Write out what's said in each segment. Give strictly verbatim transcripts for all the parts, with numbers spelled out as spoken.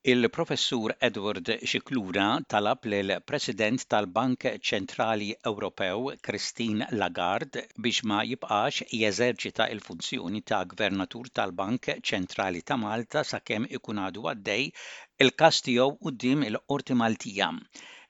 Il-Professur Edward Scicluna talab lill-President tal-Bank Ċentrali Ewropew Christine Lagarde biex ma jibqax jeżerċita il-funzjoni ta' Gvernatur tal-Bank Ċentrali ta' Malta sakemm ikun għadu għaddej il-każ tiegħu quddiem il-Qorti Maltija.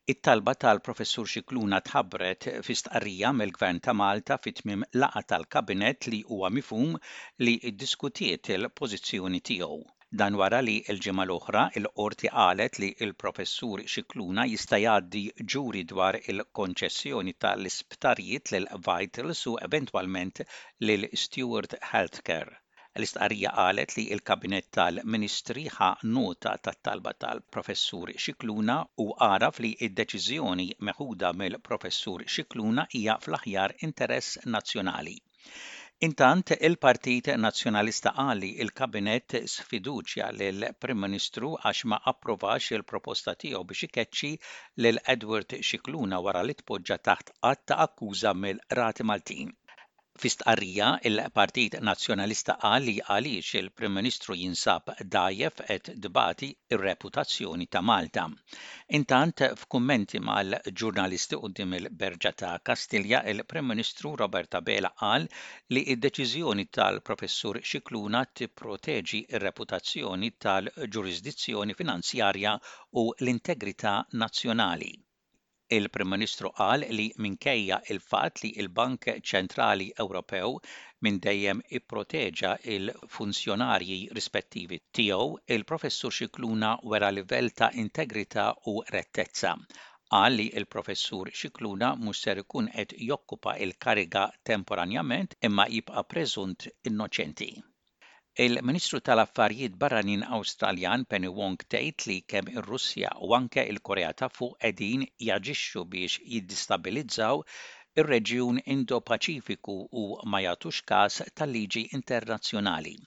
It-talba tal-Professur Scicluna tħabbret fi stqarrija mill-Gvern ta' Malta fi tmiem laqgħa tal-Kabinett li huwa mifhum li ddiskutiet il-pożizzjoni tiegħu. Dan wara li l-ġimgħa l-oħra il-qorti qalet li l-Professur Scicluna jista' jgħaddi ġuri dwar il-konċessjoni tal-isptarijiet lil Vitals u eventwalment lil Steward Healthcare. L-istqarrija qalet li l-Kabinett tal-Ministri ħa nota tat-talba tal-Professur Scicluna u għaraf li d-deċiżjoni meħuda mill-Professur Scicluna hija fl-aħjar interess nazzjonali. Intant, il-Partit Nazzjonalista qal li il-Kabinett sfiduċja lill-Prim Ministru għax ma approvax il-proposta tiegħu biex ikeċċi lil Edward Scicluna wara li tpoġġa taħt att ta' akkuża mill-Qrati Maltin. Fi stqarrija, il-Partit Nazzjonalista qal li għaliex il-Prim Ministru jinsab dgħajjef qed tbati ir-reputazzjoni ta' Malta. Intant, f'kummenti mal-ġurnalisti quddiem il-Berġa ta' Kastilja, il-Prim Ministru Robert Abela qal li d-deċiżjoni tal-Professur Scicluna tipproteġi r-reputazzjoni tal-ġurisdizzjoni finanzjarja u l-integrità nazzjonali. Il-Prim Ministru qal li minkejja il-fatt li il-Bank Ċentrali Ewropew minn dejjem ipproteġa il-funzjonarji rispettivi tiegħu, il-Professur Scicluna wera livell ta' integrità u rettezza. Qal li il-Professur Scicluna mhux ser ikun qed jokkupa il-kariga temporanjament imma jibqa' preżunt innoċenti. Il-Ministru tal-Affarijiet Barranin Awstraljan Penny Wong tgħid li kemm ir-Russja u anke il-Korea ta' Fuq qegħdin jaġixxu biex jiddistabilizzaw ir-reġjun Indo-Paċifiku u ma jagħtux każ tal-liġi internazzjonali.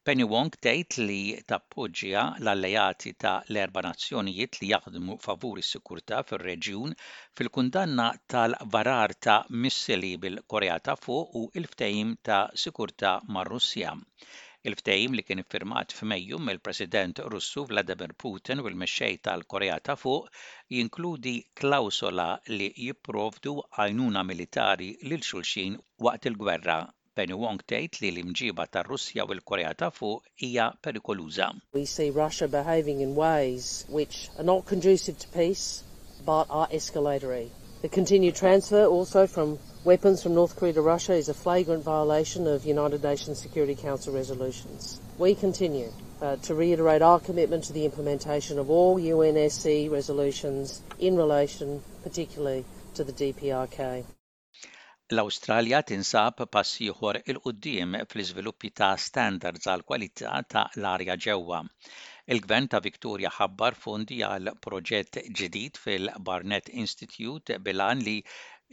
Penny Wong tgħid li tappoġġja l-alleati ta' l-erba' nazzjonijiet li jaħdmu favur is-sikurtà fir-reġjun fil-kundanna tal-varar ta' missili bil-Korea ta' Fuq u l-ftehim ta' sikurtà mar-Russja. Il-ftehim li kien iffirmat f'Mejju mill-President Russu Vladimir Putin u l-mexxej tal-Korea ta' Fuq jinkludi klawsola li jipprovdu għajnuna militari lil xulxin waqt il-gwerra. Penny Wong tgħid li l-imġiba tar-Russja u l-Korea ta' Fuq hija perikoluża. We see Russia behaving in ways which are not conducive to peace but are escalatory. The continued transfer also from weapons from North Korea to Russia is a flagrant violation of United Nations Security Council resolutions. We continue uh, to reiterate our commitment to the implementation of all U N S C resolutions in relation particularly to the D P R K. L-Awstralja tinsab pass ieħor 'il quddiem fl-iżviluppi ta' standards għal kwalità ta' l-arja ġewwa. Il-Gvern ta' Victoria ħabbar fondi għal proġett ġdid fil-Barnett Institute bil-għan li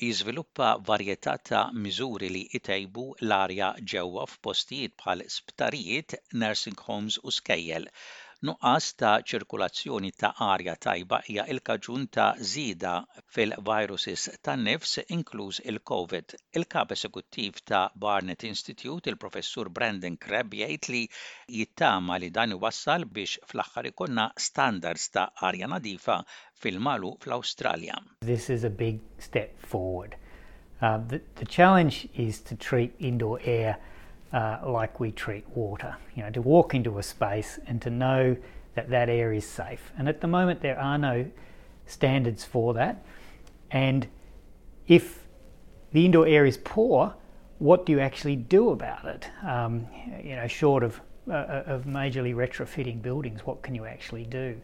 jiżviluppa varjetà ta' miżuri li jtejbu l-arja ġewwa f'postijiet bħal sptarijiet, nursing homes u skejjel. Nuqqas ta' ċirkulazzjoni ta' arja tajba hija l-kaġun ta' żieda fil-viruses tan-nifs, inkluż il-COVID. Il-kap esekuttiv ta' Barnett Institute, il-Professur Brandon Crabb, jgħid li jittama li dan iwassal biex fl-aħħar ikollna standards ta' arja nadifa fil-magħluq fl-Awstralja. This is a big step forward. Uh, the, the challenge is to treat indoor air uh, like we treat water. You know, to walk into a space and to know that that air is safe. And at the moment, there are no standards for that. And if the indoor air is poor, what do you actually do about it? Um, you know, short of, uh, of majorly retrofitting buildings, what can you actually do?